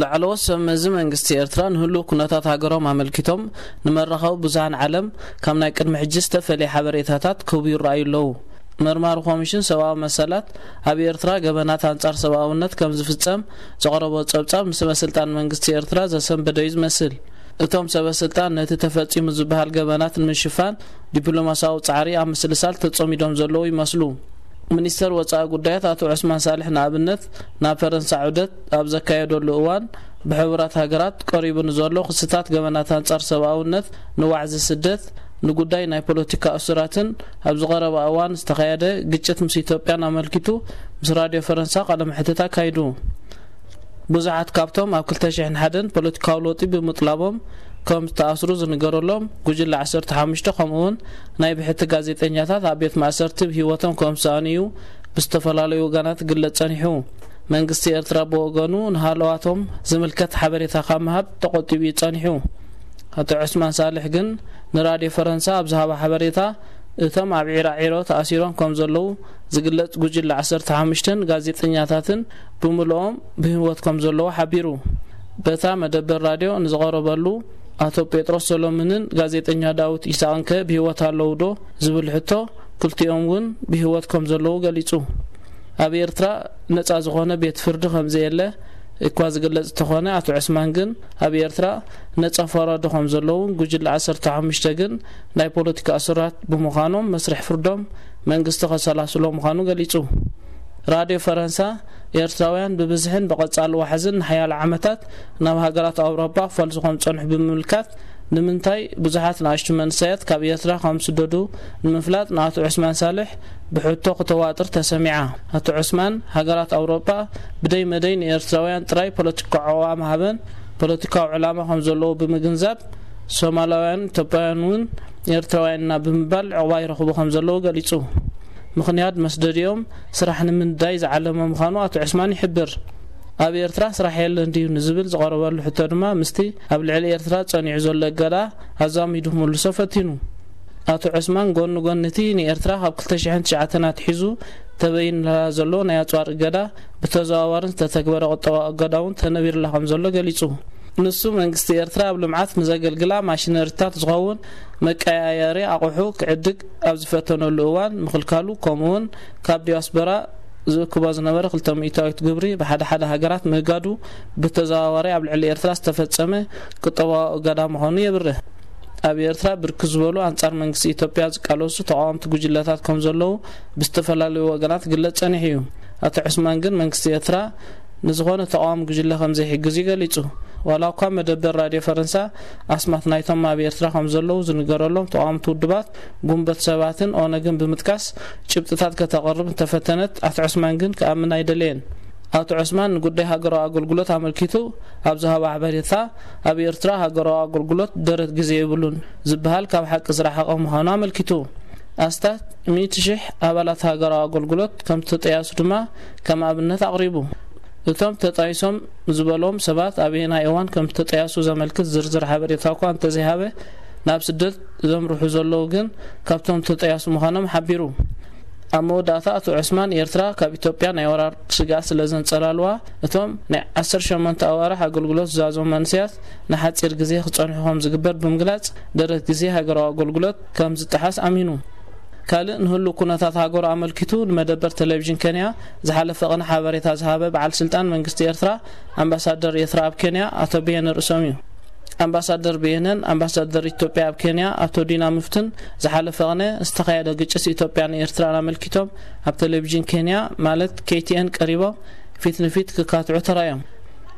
ላዕለዎት ሰብ መዚ መንግስቲ ኤርትራ ንህሉው ኩነታት ሃገሮም ኣመልኪቶም ንመራኸቢ ብዙሃን ዓለም ካብ ናይ ቅድሚ ሕጂ ዝተፈለየ ሓበሬታታት ክህቡ ይረኣዩ ኣለዉ። መርማሪ ኮሚሽን ሰብኣዊ መሰላት ኣብ ኤርትራ ገበናት ኣንጻር ሰብኣውነት ከም ዝፍጸም ዘቕረቦ ጸብጻብ ንሰበ ስልጣን መንግስቲ ኤርትራ ዘሰንበደ እዩ ዝመስል። እቶም ሰበ ስልጣን ነቲ ተፈጺሙ ዝበሃል ገበናት ንምሽፋን ዲፕሎማሲያዊ ጻዕሪ ኣብ ምስልሳል ተጸሚዶም ዘለዉ ይመስሉ። ሚኒስተር ወጻኢ ጉዳያት ኣቶ ዑስማን ሳልሕ ንኣብነት ናብ ፈረንሳ ዑደት ኣብ ዘካየደሉ እዋን ብሕቡራት ሃገራት ቀሪቡ ንዘሎ ክስታት ገበናት ኣንጻር ሰብኣውነት፣ ንዋዕዚ ስደት፣ ንጉዳይ ናይ ፖለቲካ እሱራትን ኣብዚ ቀረባ እዋን ዝተኻየደ ግጭት ምስ ኢትዮጵያን ኣመልኪቱ ምስ ራድዮ ፈረንሳ ቃለ መሕትት ኣካይዱ። ብዙሓት ካብቶም ኣብ ክልተ ሽሕን ሓደን ፖለቲካዊ ለውጢ ብምጥላቦም ከም ዝተኣስሩ ዝንገረሎም ጉጅለ ዓሰርተ ሓሙሽተ ከምኡውን ናይ ብሕቲ ጋዜጠኛታት ኣብ ቤት ማእሰርቲ ብህይወቶም ከም ዝሰኣኑ እዩ ብዝተፈላለዩ ወገናት ክግለጽ ጸኒሑ። መንግስቲ ኤርትራ ብወገኑ ንሃለዋቶም ዝምልከት ሓበሬታ ካብ ምሃብ ተቖጢቡ እዩ ጸኒሑ። ኣቶ ዑስማን ሳልሕ ግን ንራድዮ ፈረንሳ ኣብ ዝሃቦ ሓበሬታ እቶም ኣብ ዒራዒሮ ተኣሲሮም ከም ዘለዉ ዝግለጽ ጉጅለ ዓሰርተ ሓሙሽተን ጋዜጠኛታትን ብምልኦም ብህይወት ከም ዘለዉ ሓቢሩ። በታ መደበር ራድዮ ንዝቐረበሉ ኣቶ ጴጥሮስ ሰሎምንን ጋዜጠኛ ዳዊት ኢሳቕንከ ብህይወት ኣለዉ ዶ ዝብል ሕቶ ክልቲኦም እውን ብህይወት ከም ዘለዉ ገሊጹ። ኣብ ኤርትራ ነጻ ዝኾነ ቤት ፍርዲ ከም ዘየለ እኳ ዝግለጽ እንተኾነ ኣቶ ዑስማን ግን ኣብ ኤርትራ ነጻ ፈራዶ ከም ዘለዉን ጉጅለ ዓሰርተ ሓሙሽተ ግን ናይ ፖለቲካ እሱራት ብምዃኖም መስርሕ ፍርዶም መንግስቲ ከሰላስሎ ምዃኑ ገሊጹ። ራድዮ ፈረንሳ ኤርትራውያን ብብዝሕን ብቐጻሊ ዋሕዝን ንሓያሎ ዓመታት ናብ ሃገራት ኣውሮጳ ክፈልሱ ከም ዝጸንሑ ብምምልካት ንምንታይ ብዙሓት ንኣሽቱ መንእሰያት ካብ ኤርትራ ከም ዝስደዱ ንምፍላጥ ንኣቶ ዑስማን ሳልሕ ብሕቶ ክተዋጥር ተሰሚዓ። ኣቶ ዑስማን ሃገራት ኣውሮጳ ብደይ መደይ ንኤርትራውያን ጥራይ ፖለቲካዊ ዕዋ ምሃበን ፖለቲካዊ ዕላማ ከም ዘለዎ ብምግንዛብ ሶማላውያን ኢትዮጵያውያን እውን ኤርትራውያን ኢና ብምባል ዕቕባ ይረኽቡ ከም ዘለዉ ገሊጹ። ምኽንያት መስደዲኦም ስራሕ ንምንዳይ ዝዓለመ ምዃኑ ኣቶ ዑስማን ይሕብር። ኣብ ኤርትራ ስራሕ የለን ድዩ ንዝብል ዝቐረበሉ ሕቶ ድማ ምስቲ ኣብ ልዕሊ ኤርትራ ጸኒዑ ዘሎ እገዳ ኣዛሚዱ ክምልሶ ፈቲኑ። ኣቶ ዑስማን ጎኒ ጎኒ እቲ ንኤርትራ ካብ ክልተ ሽሕን ትሽዓተን ኣትሒዙ ተበይንላ ዘሎ ናይ ኣጽዋር እገዳ ብተዘዋዋርን ዝተተግበረ ቁጠባዊ እገዳ እውን ተነቢርላ ከም ዘሎ ገሊጹ። ንሱ መንግስቲ ኤርትራ ኣብ ልምዓት ንዘገልግላ ማሽነሪታት ዝኸውን መቀያየሪ ኣቑሑ ክዕድግ ኣብ ዝፈተነሉ እዋን ምኽልካሉ ከምኡውን ካብ ዲያስፖራ ዝእክቦ ዝነበረ ክልተ ሚእታዊት ግብሪ ብሓደ ሓደ ሃገራት ምእጋዱ ብተዘዋዋሪ ኣብ ልዕሊ ኤርትራ ዝተፈጸመ ቁጠባዊ እገዳ ምዃኑ የብርህ። ኣብ ኤርትራ ብርክት ዝበሉ ኣንጻር መንግስቲ ኢትዮጵያ ዝቃለሱ ተቓወምቲ ጉጅለታት ከም ዘለዉ ብዝተፈላለዩ ወገናት ክግለጽ ጸኒሑ እዩ። ኣቶ ዑስማን ግን መንግስቲ ኤርትራ ንዝኾነ ተቓዋሚ ጉጅለ ከም ዘይሕግዝ እዩ ገሊጹ። ዋላ እኳ መደበር ራድዮ ፈረንሳ ኣስማት ናይቶም ኣብ ኤርትራ ከም ዘለዉ ዝንገረሎም ተቓወምቲ ውድባት ጉንበት ሰባትን ኦነግን ብምጥቃስ ጭብጥታት ከተቕርብ እንተፈተነት ኣቶ ዑስማን ግን ክኣምን ኣይደለየን። ኣቶ ዑስማን ንጉዳይ ሃገራዊ ኣገልግሎት ኣመልኪቱ ኣብ ዝሃቦ ሓበሬታ ኣብ ኤርትራ ሃገራዊ ኣገልግሎት ደረት ግዜ የብሉን ዝበሃል ካብ ሓቂ ዝረሓቐ ምዃኑ ኣመልኪቱ። ኣስታት ሚእቲ ሽሕ ኣባላት ሃገራዊ ኣገልግሎት ከም ዝተጠያሱ ድማ ከም ኣብነት ኣቕሪቡ። እቶም ተጣይሶም ዝበሎም ሰባት ኣበየናይ እዋን ከም ዝተጠያሱ ዘመልክት ዝርዝር ሓበሬታ እኳ እንተዘይሃበ ናብ ስደት ዘምርሑ ዘለዉ ግን ካብቶም ዝተጠያሱ ምዃኖም ሓቢሩ። ኣብ መወዳእታ ኣቶ ዑስማን ኤርትራ ካብ ኢትዮጵያ ናይ ወራር ስግኣት ስለ ዘንጸላልዋ እቶም ናይ ዓሰርተ ሸሞንተ ኣዋርሕ ኣገልግሎት ዝዛዘሙ መንእሰያት ንሓጺር ግዜ ክጸንሑ ከም ዝግበር ብምግላጽ ደረት ግዜ ሃገራዊ ኣገልግሎት ከም ዝጠሓስ ኣሚኑ። ካልእ ንህሉ ኩነታት ሃገሩ ኣመልኪቱ ንመደበር ቴሌቪዥን ኬንያ ዝሓለፈ ቅነ ሓበሬታ ዝሃበ በዓል ስልጣን መንግስቲ ኤርትራ ኣምባሳደር ኤርትራ ኣብ ኬንያ ኣቶ ብየነ ርእሶም እዩ። ኣምባሳደር ብየነን ኣምባሳደር ኢትዮጵያ ኣብ ኬንያ ኣቶ ዲና ምፍትን ዝሓለፈ ቅነ ዝተኻየደ ግጭት ኢትዮጵያን ኤርትራን ኣመልኪቶም ኣብ ቴሌቪዥን ኬንያ ማለት ኬቲኤን ቀሪቦም ፊት ንፊት ክካትዑ ተራዮም።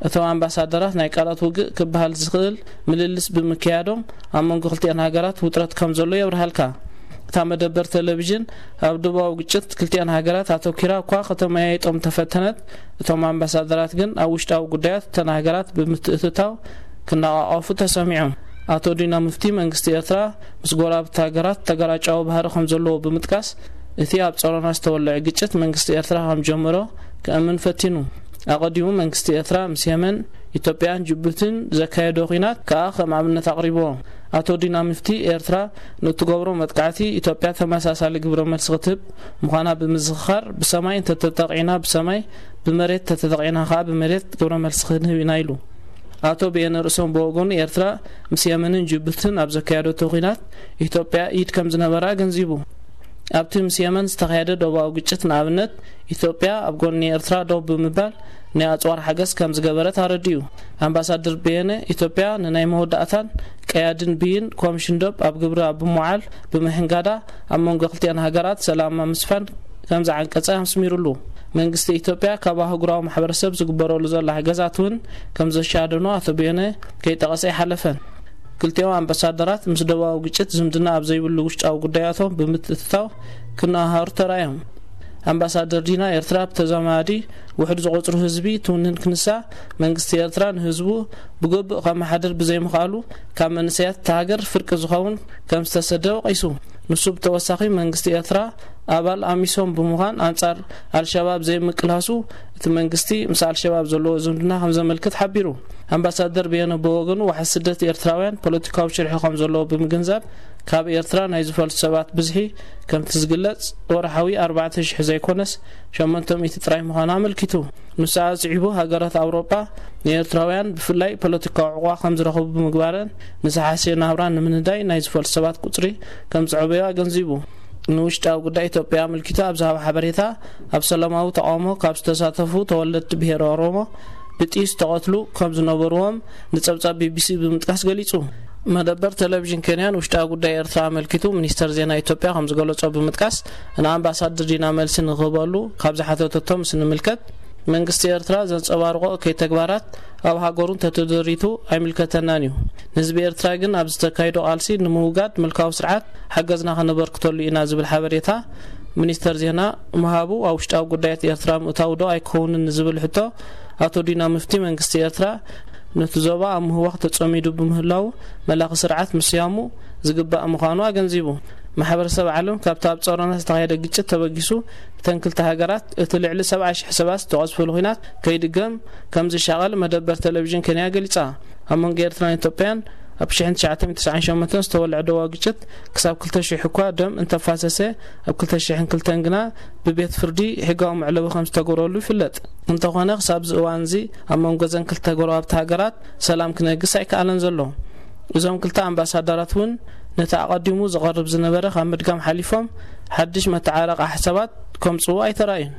እቶም ኣምባሳደራት ናይ ቃላት ውግእ ክበሃል ዝኽእል ምልልስ ብምክያዶም ኣብ መንጎ ክልቲኣን ሃገራት ውጥረት ከም ዘሎ የብርሃልካ። እታ መደበር ቴሌቪዥን ኣብ ዶባዊ ግጭት ክልቲኣን ሃገራት ኣተኪራ እኳ ከተመያይጦም ተፈተነት፣ እቶም ኣምባሳደራት ግን ኣብ ውሽጣዊ ጉዳያት እተን ሃገራት ብምትእትታው ክነቓቐፉ ተሰሚዖም። ኣቶ ዲና ምፍቲ መንግስቲ ኤርትራ ምስ ጎረባብቲ ሃገራት ተገራጫዊ ባህሪ ከም ዘለዎ ብምጥቃስ እቲ ኣብ ጸሮና ዝተወለዐ ግጭት መንግስቲ ኤርትራ ከም ጀመሮ ክእምን ፈቲኑ። ኣቐዲሙ መንግስቲ ኤርትራ ምስ የመን፣ ኢትዮጵያን ጅቡትን ዘካየዶ ኲናት ከኣ ከም ኣብነት ኣቕሪብዎ። ኣቶ ዲና ምፍቲ ኤርትራ ንእትገብሮ መጥቃዕቲ ኢትዮጵያ ተመሳሳሊ ግብረ መልሲ ክትህብ ምዃና ብምዝኽኻር ብሰማይ እንተተጠቒዕና ብሰማይ ብመሬት ተተጠቂና ከኣ ብመሬት ግብረ መልሲ ክንህብ ኢና ኢሉ። ኣቶ ብየነ ርእሶም ብወገኑ፣ ኤርትራ ምስ የመንን ጅቡትን ኣብ ዘካየደቶ ኲናት ኢትዮጵያ ኢድ ከም ዝነበራ ኣገንዚቡ። ኣብቲ ምስ የመን ዝተኻየደ ዶባዊ ግጭት፣ ንኣብነት፣ ኢትዮጵያ ኣብ ጎኒ ኤርትራ ደው ብምባል ናይ ኣጽዋር ሓገዝ ከም ዝገበረት ኣረዲኡ። ኣምባሳደር ብየነ፣ ኢትዮጵያ ንናይ መወዳእታን ቀያድን ብይን ኮሚሽን ዶብ ኣብ ግብሪ ኣብ ብምውዓል ብምሕንጋዳ፣ ኣብ መንጎ ክልቲኣን ሃገራት ሰላም ኣብ ምስፋን ከም ዝዓንቀጸ ኣስሚሩሉ። መንግስቲ ኢትዮጵያ ካብ ኣህጉራዊ ማሕበረሰብ ዝግበረሉ ዘሎ ሓገዛት እውን ከም ዘሻደኖ ኣቶ ብየነ ከይጠቐሰ ኣይሓለፈን። ክልቲኦም ኣምባሳደራት ምስ ደቡባዊ ግጭት ዝምድና ኣብ ዘይብሉ ውሽጣዊ ጉዳያቶም ብምትእትታው ክነሃሃሩ ተራእዮም። ኣምባሳደር ዲና፣ ኤርትራ ብተዛማዲ ውሕድ ዝቆጽሩ ህዝቢ ትውንን ክንሳ፣ መንግስቲ ኤርትራ ንህዝቡ ብግቡእ ከመሓድር ብዘይምኽኣሉ፣ ካብ መንእሰያት እታ ሃገር ፍርቂ ዝኸውን ከም ዝተሰደ ወቒሱ። ንሱ ብተወሳኺ፣ መንግስቲ ኤርትራ ኣባል ኣሚሶም ብምዃን ኣንጻር ኣልሸባብ ዘይምቅላሱ፣ እቲ መንግስቲ ምስ ኣልሸባብ ዘለዎ ዝምድና ከም ዘመልክት ሓቢሩ። ኣምባሳደር ብየነ ብወገኑ፣ ዋሕዚ ስደት ኤርትራውያን ፖለቲካዊ ሽርሒ ከም ዘለዎ ብምግንዛብ፣ ካብ ኤርትራ ናይ ዝፈልሱ ሰባት ብዝሒ ከምቲ ዝግለጽ ወርሓዊ ኣርባዕተ ሽሕ ዘይኮነስ ሸሞንተ ሚእቲ ጥራይ ምዃኑ ኣመልኪቱ። ንሱ ኣጽዒቡ፣ ሃገራት ኣውሮጳ ንኤርትራውያን ብፍላይ ፖለቲካዊ ዕቑባ ከም ዝረኽቡ ብምግባረን፣ ንዝሓሸ ናብራ ንምንዳይ ናይ ዝፈልሱ ሰባት ቁጽሪ ከም ዝዕበዩ ኣገንዚቡ። ንውሽጣዊ ጉዳይ ኢትዮጵያ ኣመልኪቱ ኣብ ዝሃቦ ሓበሬታ፣ ኣብ ሰላማዊ ተቓውሞ ካብ ዝተሳተፉ ተወለድቲ ብሄረ ኦሮሞ ብጥይት ዝተቐትሉ ከም ዝነበርዎም ንጸብጻብ ቢቢሲ ብምጥቃስ ገሊጹ። መደበር ቴሌቪዥን ኬንያ ንውሽጣዊ ጉዳይ ኤርትራ ኣመልኪቱ፣ ሚኒስተር ዜና ኢትዮጵያ ከም ዝገለጾ ብምጥቃስ፣ ንኣምባሳደር ዲና መልሲ ንክህበሉ ካብ ዝሓተተቶ ምስ ንምልከት፣ መንግስቲ ኤርትራ ዘንጸባርቖ እከይ ተግባራት ኣብ ሃገሩ እንተተደሪቱ ኣይምልከተናን እዩ። ንህዝቢ ኤርትራ ግን ኣብ ዝተካይዶ ቃልሲ ንምውጋድ ምልካዊ ስርዓት ሓገዝና ከነበርክተሉ ኢና ዝብል ሓበሬታ ሚኒስተር ዜና ምሃቡ ኣብ ውሽጣዊ ጉዳያት ኤርትራ ምእታው ዶ ኣይከውንን ንዝብል ሕቶ፣ ኣቶ ዲና ምፍቲ መንግስቲ ኤርትራ ነቲ ዞባ ኣብ ምህዋኽ ተጸሚዱ ብምህላዉ፣ መላኺ ስርዓት ምስያሙ ዝግባእ ምዃኑ ኣገንዚቡ። ማሕበረሰብ ዓለም ካብቲ ኣብ ጾሮና ዝተኻየደ ግጭት ተበጊሱ፣ እተን ክልተ ሃገራት እቲ ልዕሊ ሰብዓ ሽሕ ሰባት ዝተቐዝፈሉ ኲናት ከይድገም ከም ዝሻቐል መደበር ቴሌቪዥን ኬንያ ገሊጻ። ኣብ መንጎ ኤርትራን ኢትዮጵያን ኣብ ሽሕን ትሽዓተ ሚእትን ተስዓን ሸሞንተን ዝተወልዐ ደቡባዊ ግጭት፣ ክሳብ ክልተ ሽሕ እኳ ደም እንተፋሰሰ፣ ኣብ ክልተ ሽሕን ክልተን ግና ብቤት ፍርዲ ሕጋዊ መዕለቢ ከም ዝተገብረሉ ይፍለጥ። እንተኾነ፣ ክሳብ እዚ እዋን እዚ ኣብ መንጎ እዘን ክልተ ጎረባብቲ ሃገራት ሰላም ክነግስ ኣይከኣለን ዘሎ። እዞም ክልተ ኣምባሳደራት እውን ነቲ ኣቐዲሙ ዝቐርብ ዝነበረ ካብ ምድጋም ሓሊፎም፣ ሓድሽ መተዓረቒ ሓሳባት ከምጽኡ ኣይተራእዩን።